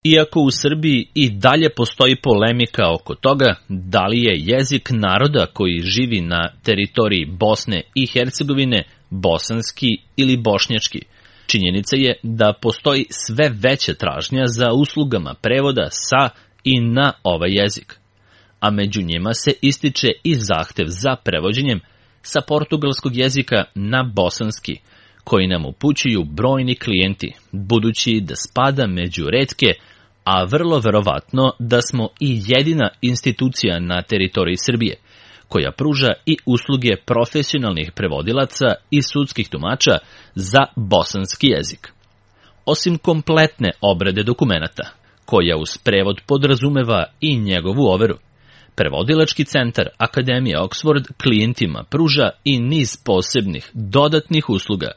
Iako u Srbiji i dalje postoji polemika oko toga da li je jezik naroda koji živi na teritoriji Bosne i Hercegovine bosanski ili bošnjački, činjenica je da postoji sve veća tražnja za uslugama prevoda sa i na ovaj jezik, a među njima se ističe i zahtev za prevođenjem sa portugalskog jezika na bosanski, koji nam upućuju brojni klijenti, budući da spada među retke, a vrlo verovatno da smo i jedina institucija na teritoriji Srbije, koja pruža i usluge profesionalnih prevodilaca i sudskih tumača za bosanski jezik. Osim kompletne obrade dokumenata, koja uz prevod podrazumeva i njegovu overu, Prevodilački centar Akademije Oxford klijentima pruža i niz posebnih dodatnih usluga,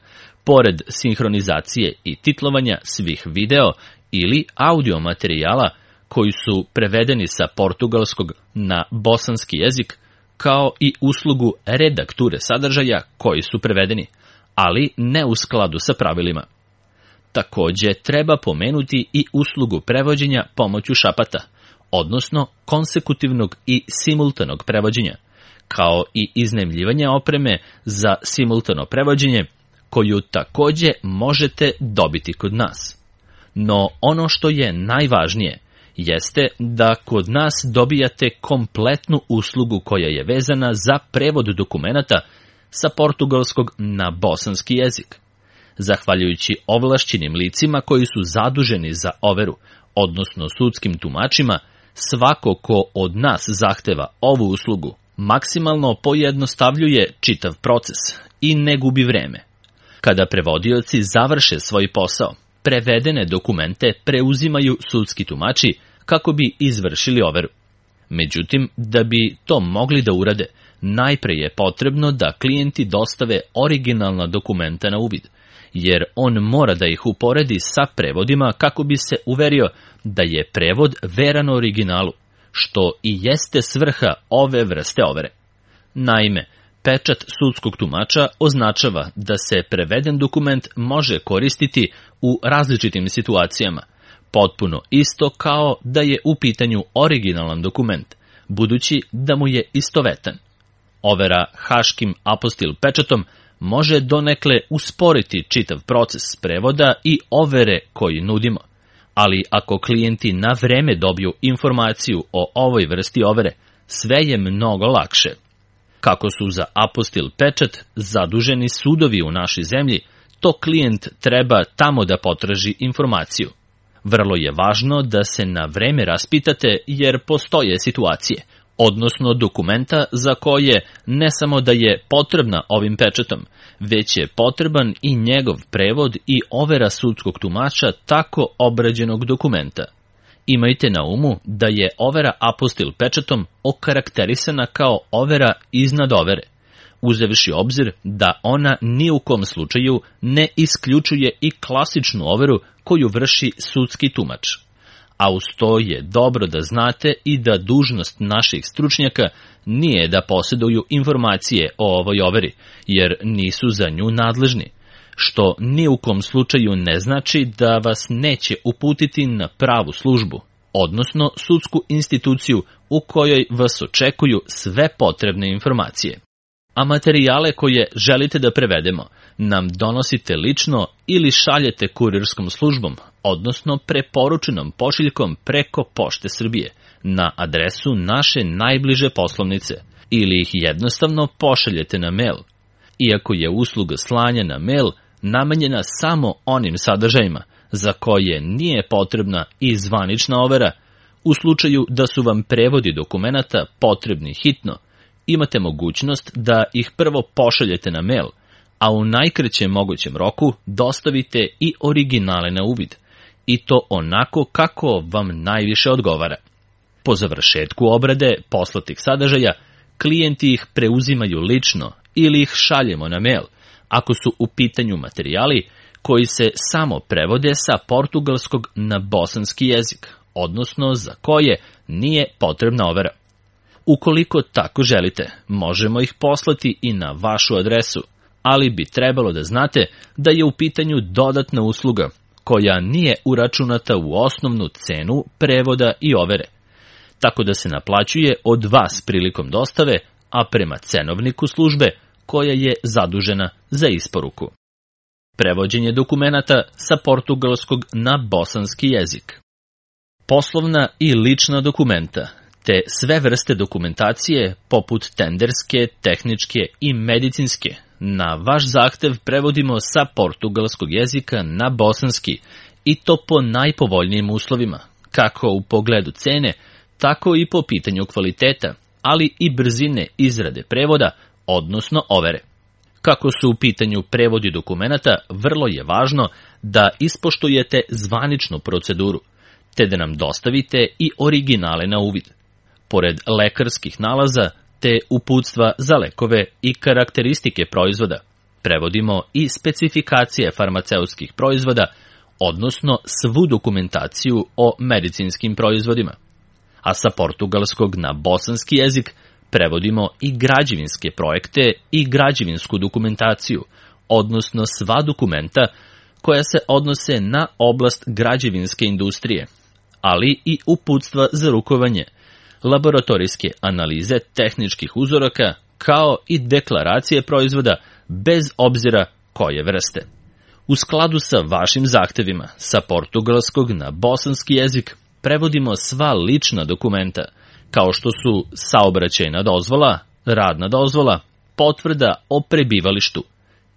pored sinhronizacije i titlovanja svih video ili audio materijala koji su prevedeni sa portugalskog na bosanski jezik, kao i uslugu redakture sadržaja koji su prevedeni, ali ne u skladu sa pravilima. Takođe, treba pomenuti i uslugu prevođenja pomoću šapata, odnosno konsekutivnog i simultanog prevođenja, kao i iznajmljivanje opreme za simultano prevođenje, koju takođe možete dobiti kod nas. No ono što je najvažnije jeste da kod nas dobijate kompletnu uslugu koja je vezana za prevod dokumenata sa portugalskog na bosanski jezik. Zahvaljujući ovlašćenim licima koji su zaduženi za overu, odnosno sudskim tumačima, svako ko od nas zahteva ovu uslugu maksimalno pojednostavljuje čitav proces i ne gubi vreme. Kada prevodioci završe svoj posao, prevedene dokumente preuzimaju sudski tumači kako bi izvršili overu. Međutim, da bi to mogli da urade, najpre je potrebno da klijenti dostave originalna dokumenta na uvid, jer on mora da ih uporedi sa prevodima kako bi se uverio da je prevod veran originalu, što i jeste svrha ove vrste overe. Naime, pečat sudskog tumača označava da se preveden dokument može koristiti u različitim situacijama, potpuno isto kao da je u pitanju originalan dokument, budući da mu je istovetan. Overa haškim apostil pečatom može donekle usporiti čitav proces prevoda i overe koji nudimo, ali ako klijenti na vreme dobiju informaciju o ovoj vrsti overe, sve je mnogo lakše. Kako su za apostil pečat zaduženi sudovi u našoj zemlji, to klijent treba tamo da potraži informaciju. Vrlo je važno da se na vreme raspitate jer postoje situacije, odnosno dokumenta za koje ne samo da je potrebna ovim pečatom, već je potreban i njegov prevod i overa sudskog tumača tako obrađenog dokumenta. Imajte na umu da je overa apostil pečatom okarakterisana kao overa iznad overe, uzevši obzir da ona ni u kom slučaju ne isključuje i klasičnu overu koju vrši sudski tumač. A uz to je dobro da znate i da dužnost naših stručnjaka nije da posjeduju informacije o ovoj overi, jer nisu za nju nadležni, što ni u kom slučaju ne znači da vas neće uputiti na pravu službu, odnosno sudsku instituciju u kojoj vas očekuju sve potrebne informacije. A materijale koje želite da prevedemo nam donosite lično ili šaljete kurirskom službom, odnosno preporučenom pošiljkom preko Pošte Srbije, na adresu naše najbliže poslovnice, ili ih jednostavno pošaljete na mail. Iako je usluga slanja na mail namenjena samo onim sadržajima za koje nije potrebna i zvanična overa, u slučaju da su vam prevodi dokumenata potrebni hitno, imate mogućnost da ih prvo pošaljete na mail, a u najkraćem mogućem roku dostavite i originale na uvid, i to onako kako vam najviše odgovara. Po završetku obrade poslatih sadržaja, klijenti ih preuzimaju lično ili ih šaljemo na mail, ako su u pitanju materijali koji se samo prevode sa portugalskog na bosanski jezik, odnosno za koje nije potrebna overa. Ukoliko tako želite, možemo ih poslati i na vašu adresu, ali bi trebalo da znate da je u pitanju dodatna usluga koja nije uračunata u osnovnu cenu prevoda i overe, tako da se naplaćuje od vas prilikom dostave, a prema cenovniku službe koja je zadužena za isporuku. Prevođenje dokumenata sa portugalskog na bosanski jezik. Poslovna i lična dokumenta, te sve vrste dokumentacije poput tenderske, tehničke i medicinske, na vaš zahtev prevodimo sa portugalskog jezika na bosanski i to po najpovoljnijim uslovima, kako u pogledu cene, tako i po pitanju kvaliteta, ali i brzine izrade prevoda, odnosno overe. Kako su u pitanju prevodi dokumenata, vrlo je važno da ispoštujete zvaničnu proceduru, te da nam dostavite i originale na uvid. Pored lekarskih nalaza, te uputstva za lekove i karakteristike proizvoda, prevodimo i specifikacije farmaceutskih proizvoda, odnosno svu dokumentaciju o medicinskim proizvodima. A sa portugalskog na bosanski jezik prevodimo i građevinske projekte i građevinsku dokumentaciju, odnosno sva dokumenta koja se odnose na oblast građevinske industrije, ali i uputstva za rukovanje, laboratorijske analize tehničkih uzoraka, kao i deklaracije proizvoda bez obzira koje vrste. U skladu sa vašim zahtevima, sa portugalskog na bosanski jezik prevodimo sva lična dokumenta, kao što su saobraćajna dozvola, radna dozvola, potvrda o prebivalištu,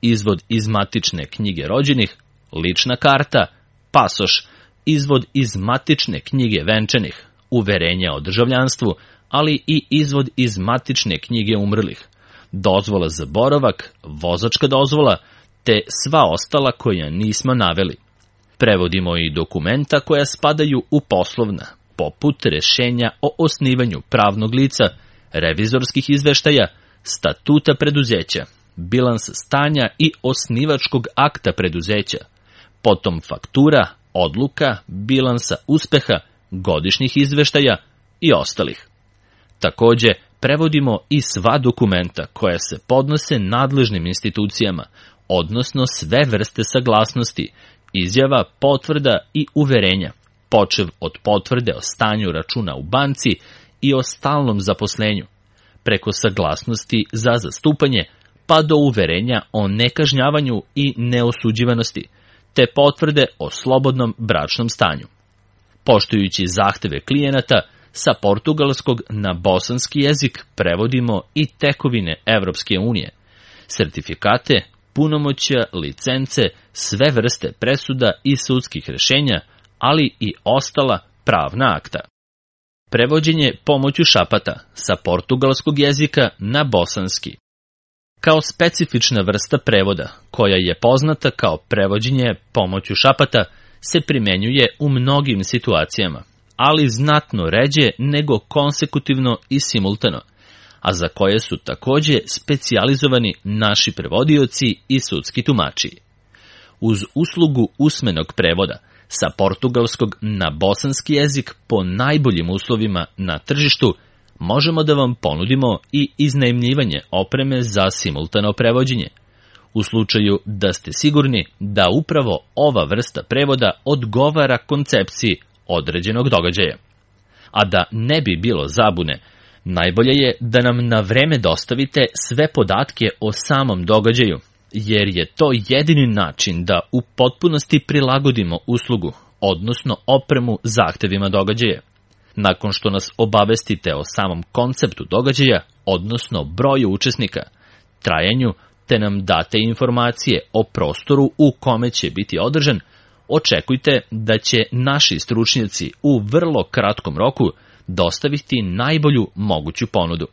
izvod iz matične knjige rođenih, lična karta, pasoš, izvod iz matične knjige venčanih, uverenja o državljanstvu, ali i izvod iz matične knjige umrlih, dozvola za boravak, vozačka dozvola, te sva ostala koja nismo naveli. Prevodimo i dokumenta koja spadaju u poslovna, poput rešenja o osnivanju pravnog lica, revizorskih izveštaja, statuta preduzeća, bilans stanja i osnivačkog akta preduzeća, potom faktura, odluka, bilansa uspeha, godišnjih izveštaja i ostalih. Takođe, prevodimo i sva dokumenta koja se podnose nadležnim institucijama, odnosno sve vrste saglasnosti, izjava, potvrda i uverenja, počev od potvrde o stanju računa u banci i o stalnom zaposlenju, preko saglasnosti za zastupanje, pa do uverenja o nekažnjavanju i neosuđivanosti, te potvrde o slobodnom bračnom stanju. Poštujući zahteve klijenata, sa portugalskog na bosanski jezik prevodimo i tekovine Evropske unije, sertifikate, punomoćja, licence, sve vrste presuda i sudskih rešenja, ali i ostala pravna akta. Prevođenje pomoću šapata sa portugalskog jezika na bosanski. Kao specifična vrsta prevoda, koja je poznata kao prevođenje pomoću šapata, se primenjuje u mnogim situacijama, ali znatno ređe nego konsekutivno i simultano, a za koje su takođe specijalizovani naši prevodioci i sudski tumači. Uz uslugu usmenog prevoda sa portugalskog na bosanski jezik po najboljim uslovima na tržištu, možemo da vam ponudimo i iznajmljivanje opreme za simultano prevođenje, u slučaju da ste sigurni da upravo ova vrsta prevoda odgovara koncepciji određenog događaja. A da ne bi bilo zabune, najbolje je da nam na vreme dostavite sve podatke o samom događaju, jer je to jedini način da u potpunosti prilagodimo uslugu, odnosno opremu zahtevima događaja. Nakon što nas obavestite o samom konceptu događaja, odnosno broju učesnika, trajanju, te nam date informacije o prostoru u kome će biti održan, očekujte da će naši stručnjaci u vrlo kratkom roku dostaviti najbolju moguću ponudu.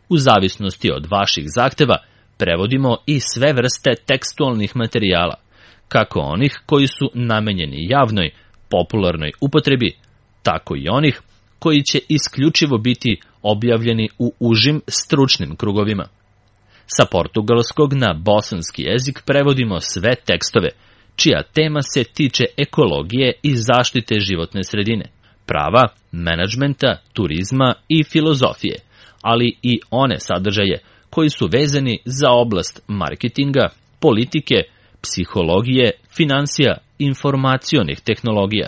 U zavisnosti od vaših zahteva, prevodimo i sve vrste tekstualnih materijala, kako onih koji su namenjeni javnoj, popularnoj upotrebi, tako i onih koji će isključivo biti objavljeni u užim stručnim krugovima. Sa portugalskog na bosanski jezik prevodimo sve tekstove, čija tema se tiče ekologije i zaštite životne sredine, prava, menadžmenta, turizma i filozofije, ali i one sadržaje koji su vezani za oblast marketinga, politike, psihologije, finansija informacionih tehnologija,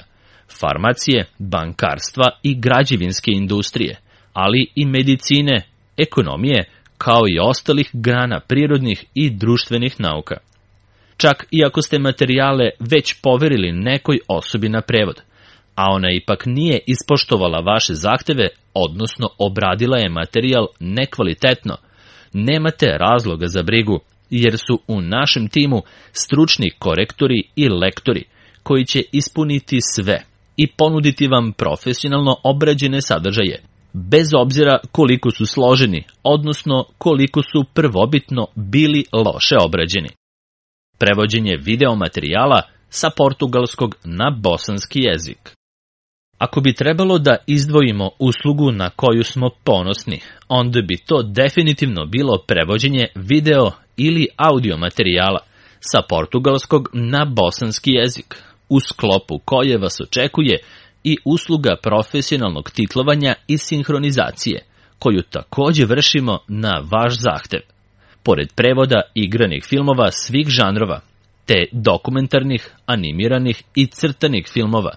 farmacije, bankarstva i građevinske industrije, ali i medicine, ekonomije, kao i ostalih grana prirodnih i društvenih nauka. Čak i ako ste materijale već poverili nekoj osobi na prevod, a ona ipak nije ispoštovala vaše zahteve, odnosno obradila je materijal nekvalitetno, nemate razloga za brigu, jer su u našem timu stručni korektori i lektori koji će ispuniti sve i ponuditi vam profesionalno obrađene sadržaje, bez obzira koliko su složeni, odnosno koliko su prvobitno bili loše obrađeni. Prevođenje video materijala sa portugalskog na bosanski jezik. Ako bi trebalo da izdvojimo uslugu na koju smo ponosni, onda bi to definitivno bilo prevođenje video ili audio materijala sa portugalskog na bosanski jezik, u sklopu koje vas očekuje i usluga profesionalnog titlovanja i sinhronizacije, koju takođe vršimo na vaš zahtev. Pored prevoda igranih filmova svih žanrova, te dokumentarnih, animiranih i crtanih filmova,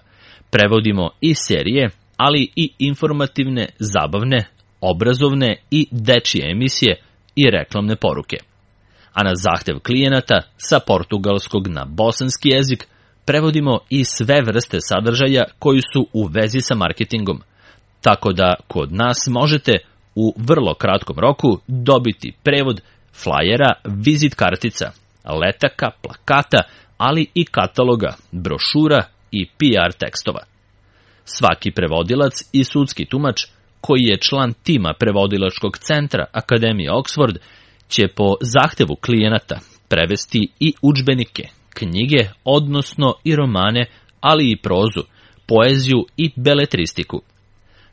prevodimo i serije, ali i informativne, zabavne, obrazovne i dečije emisije i reklamne poruke. A na zahtev klijenata sa portugalskog na bosanski jezik prevodimo i sve vrste sadržaja koji su u vezi sa marketingom, tako da kod nas možete u vrlo kratkom roku dobiti prevod flajera, vizit kartica, letaka, plakata, ali i kataloga, brošura i PR tekstova. Svaki prevodilac i sudski tumač koji je član tima prevodilačkog centra Akademije Oxford će po zahtevu klijenata prevesti i udžbenike, knjige, odnosno i romane, ali i prozu, poeziju i beletristiku.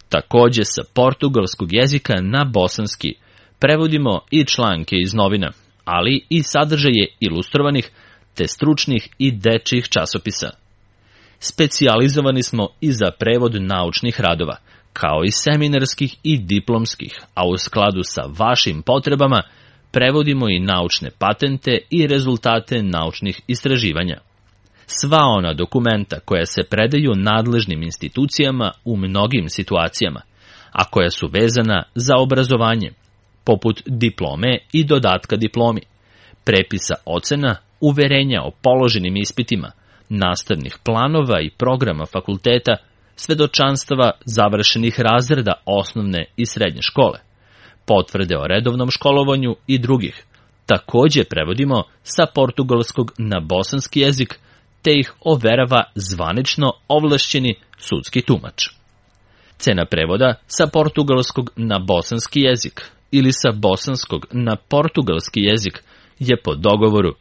Takođe sa portugalskog jezika na bosanski prevodimo i članke iz novina, ali i sadržaje ilustrovanih te stručnih i dečjih časopisa. Specijalizovani smo i za prevod naučnih radova, kao i seminarskih i diplomskih, a u skladu sa vašim potrebama prevodimo i naučne patente i rezultate naučnih istraživanja. Sva ona dokumenta koja se predaju nadležnim institucijama u mnogim situacijama, a koja su vezana za obrazovanje, poput diplome i dodatka diplomi, prepisa ocena, uverenja o položenim ispitima, nastavnih planova i programa fakulteta, svedočanstava završenih razreda osnovne i srednje škole, potvrde o redovnom školovanju i drugih. Takođe prevodimo sa portugalskog na bosanski jezik, te ih overava zvanično ovlašćeni sudski tumač. Cena prevoda sa portugalskog na bosanski jezik ili sa bosanskog na portugalski jezik je po dogovoru.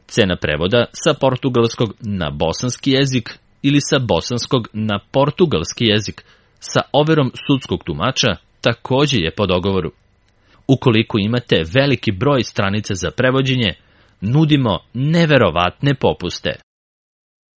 Cena prevoda sa portugalskog na bosanski jezik ili sa bosanskog na portugalski jezik sa overom sudskog tumača takođe je po dogovoru. Ukoliko imate veliki broj stranica za prevođenje, nudimo neverovatne popuste.